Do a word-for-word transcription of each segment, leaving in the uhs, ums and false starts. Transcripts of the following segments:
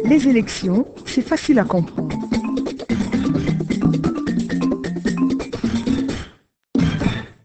Les élections, c'est facile à comprendre.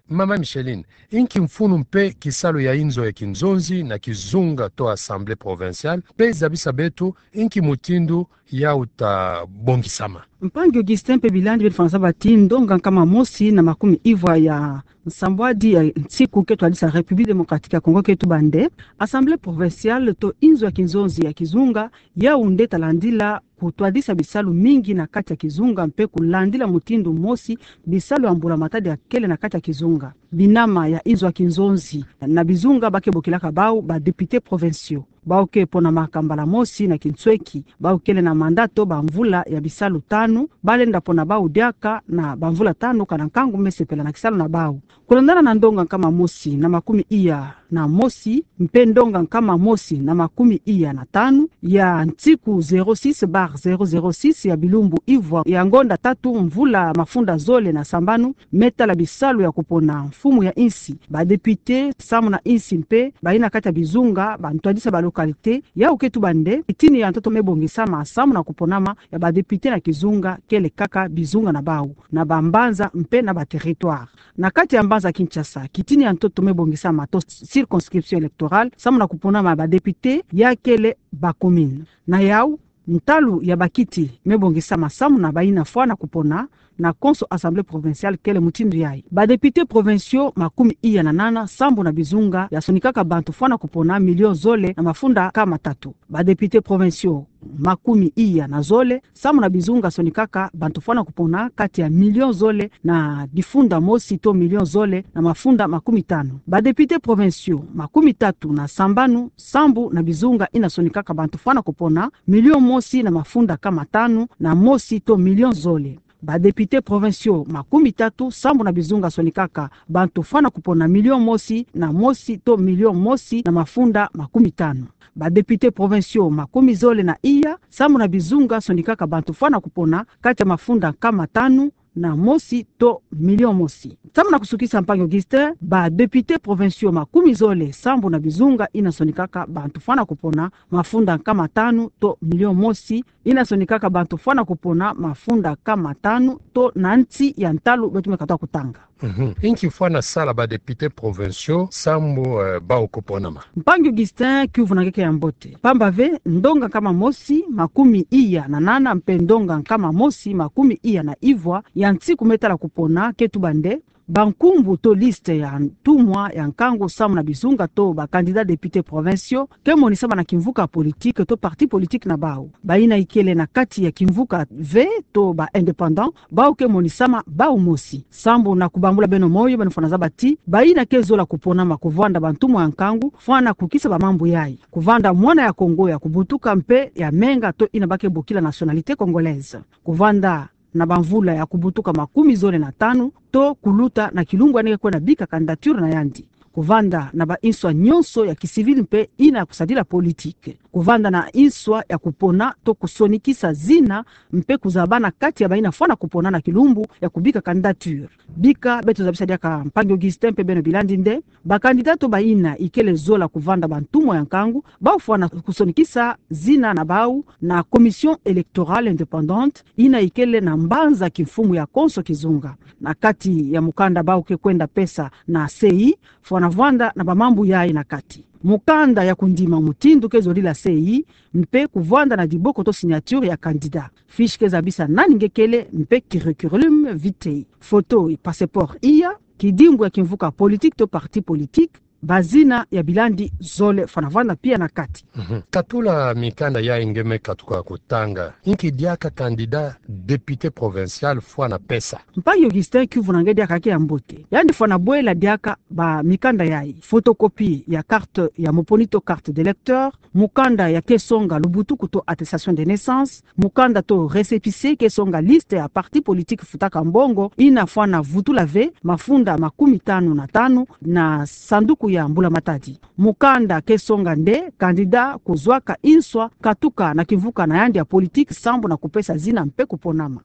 Mama Micheline, inki mfunu mpe kisalu ya inzo ya kinzonzi na kizunga to Assemblée provinciale, mpe zabisa beto inki mutindu yau ta bongisama. Mpangi Augustin mpe bilandi beno fwanasa bati, ndonga nkama mosi na makumi ivwa ya nsambwadi ya nsiku ke twadisa République Démocratique ya Congo ke tubande, Assemblée provinciale to inzo ya kinzonzi ya kizunga, yau nde ta landila kutwadisa bisalu mingi na kati ya kizunga mpe kulandila mutindu mosi bisalu ya mbula matadi ya kele na kati ya kizunga. Binama ya inzo ya kinzonzi na bizunga ba ke bokilaka bau ba députés provinciaux. Bau ke ponamaka mbala mosi na kinsweki, bau kele na mandat to bamvula ya bisalu tanu, ba lenda pona bau diaka na bamvula tanu kana nkangu me sepela na kisalu na bau. Kulandana na ndonga nkama mosi na makumi iya na mosi, mpe ndonga nkama mosi na makumi iya na tanu, ya nsiku zéro six barre zéro zéro six ya bilumbu ivwa ya ngonda tatu mvula mafunda zole na sambanu, me tala bisalu ya kupona mfumu ya insi, ba députés samu na insi mpe bayina kati ya bizunga, ba ntwadisi ya ba localités, yau ke tubande, kitini ya ntoto me bongisama samu na kuponama ya ba députés na kizunga, kele kaka bizunga na bau, na bambanza mpe na ba territoires. Na kati ya mbanza Kinshasa, kitini ya ntoto me bongisama to circonscription électorale, samu na kuponama ya ba députés, ya kele ba communes. Na yau, ntalu ya bakiti me bongisama samu na bayina fwana kupona na konso Assemblée provinciale, kele mutindu yayi. Ba députés provinciaux makumi iya na nana, sambu na bizunga, ya sonikaka bantu fwana kupona million zole na mafunda nkama tatu. Ba députés provinciaux makumi iya na zole, sambu na bizunga, sonikaka bantu fwana kupona kati ya million zole na difunda mosi to million zole na mafunda makumi tanu. Ba députés provinciaux makumi tatu na sambanu, sambu na bizunga, yina sonikaka bantu fwana kupona million mosi na mafunda nkama tanu na mosi to million zole. Ba députés provinciaux makumi tatu, sambu na bizunga, sonikaka bantu fwana kupona million mosi na mosi to million mosi na mafunda makumi tanu. Ba députés provinciaux makumi zole na iya, sambu na bizunga, sonikaka bantu fwana kupona kati ya mafunda nkama tanu na mosi to million mosi. Samu na kusukisa, mpangi Augustin, ba députés provinciaux makumi zole sambu na bizunga, yina sonikaka bantu fwana kupona mafunda nkama tanu to million mosi, yina sonikaka bantu fwana kupona mafunda nkama tanu to na nsi ya ntalu beto me katuka kutanga. Mhm. Inki fwana sala ba députés provinciaux sambu, eh, bau kuponama? Mpangi Augustin, kiuvu na nge ke ya mbote. Pamba ve, ndonga nkama mosi, makumi iya na nana, mpe ndonga nkama mosi, makumi iya na ivwa ya nsiku me tala kupona ke tubande, bankumbu to liste ya ntumwa ya nkangu samu na bizunga to ba candidats députés provinciaux ke monisama na kimvuka politique to parti politique na bau. Bayina ikele na kati ya kimvuka ve to ba indépendants, bau ke monisama bau mosi. Sambu na kubambula beno moyo, beno fwana zaba ti, bayina ke zola kuponama kuvanda bantumwa ya nkangu, fwana kukisa ba mambu yayi. Kuvanda mwana ya Kongo ya kubutuka mpe ya menga to yina ba ke bokila nationalité congolaise. Kuvanda na bamvula ya kubutuka makumi zole na tanu, to kuluta na kilumbu yandi ke kwenda bika candidature na yandi. Kuvanda na ba inswa nyonso ya kicivil mpe yina ya kusadila politique. Kuvanda na inswa ya kupona to kusonikisa zina mpe kuzabana kati ya bayina fwana kupona na kilumbu ya kubika candidature. Bika beto zabisa diaka, mpangi Augustin mpe beno bilandi, nde ba candidats to bayina ikele zola kuvanda bantumwa ya nkangu, bau fwana kusonikisa zina na bau na Commission électorale indépendante, yina ikele na mbanza kimfumu ya konso kizunga. Na kati ya mukanda bau ke kwenda pesa na C I, fwana vwanda na ba mambu yayi na kati. Mukanda ya kundima mutindu ke zolila C I, mpe kuvwanda na diboko to signature ya candidat. Fiche ke zabisa nani nge kele mpe curriculum vitae. Photo, passeport iya, kidimbu ya kimvuka politique to parti politique, bazina ya bilandi zole fwana vwanda pia na kati. Mhm. Katula mikanda yayi nge me katuka kutanga. Inki diaka candidat député provincial fwana pesa? Mpangi Augustin, kiuvu na nge diaka ke ya mbote. Yandi fwana bwela diaka ba mikanda yayi: photocopie ya carte ya moponi to carte d'électeur, mukanda ya ke songa lubutuku to attestation de naissance, mukanda to récépissé ke songa liste ya parti politique futaka mbongo yina fwana vutula ve mafunda makumi tanu na tanu na sanduku ya mbula matadi. Mukanda ke songa nde candidat kuzwaka inswa katuka na kimvuka na yandi ya politique sambu na kupesa zina mpe kuponama.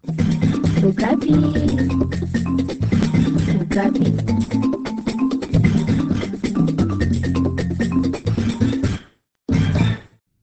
Okapi. Okapi.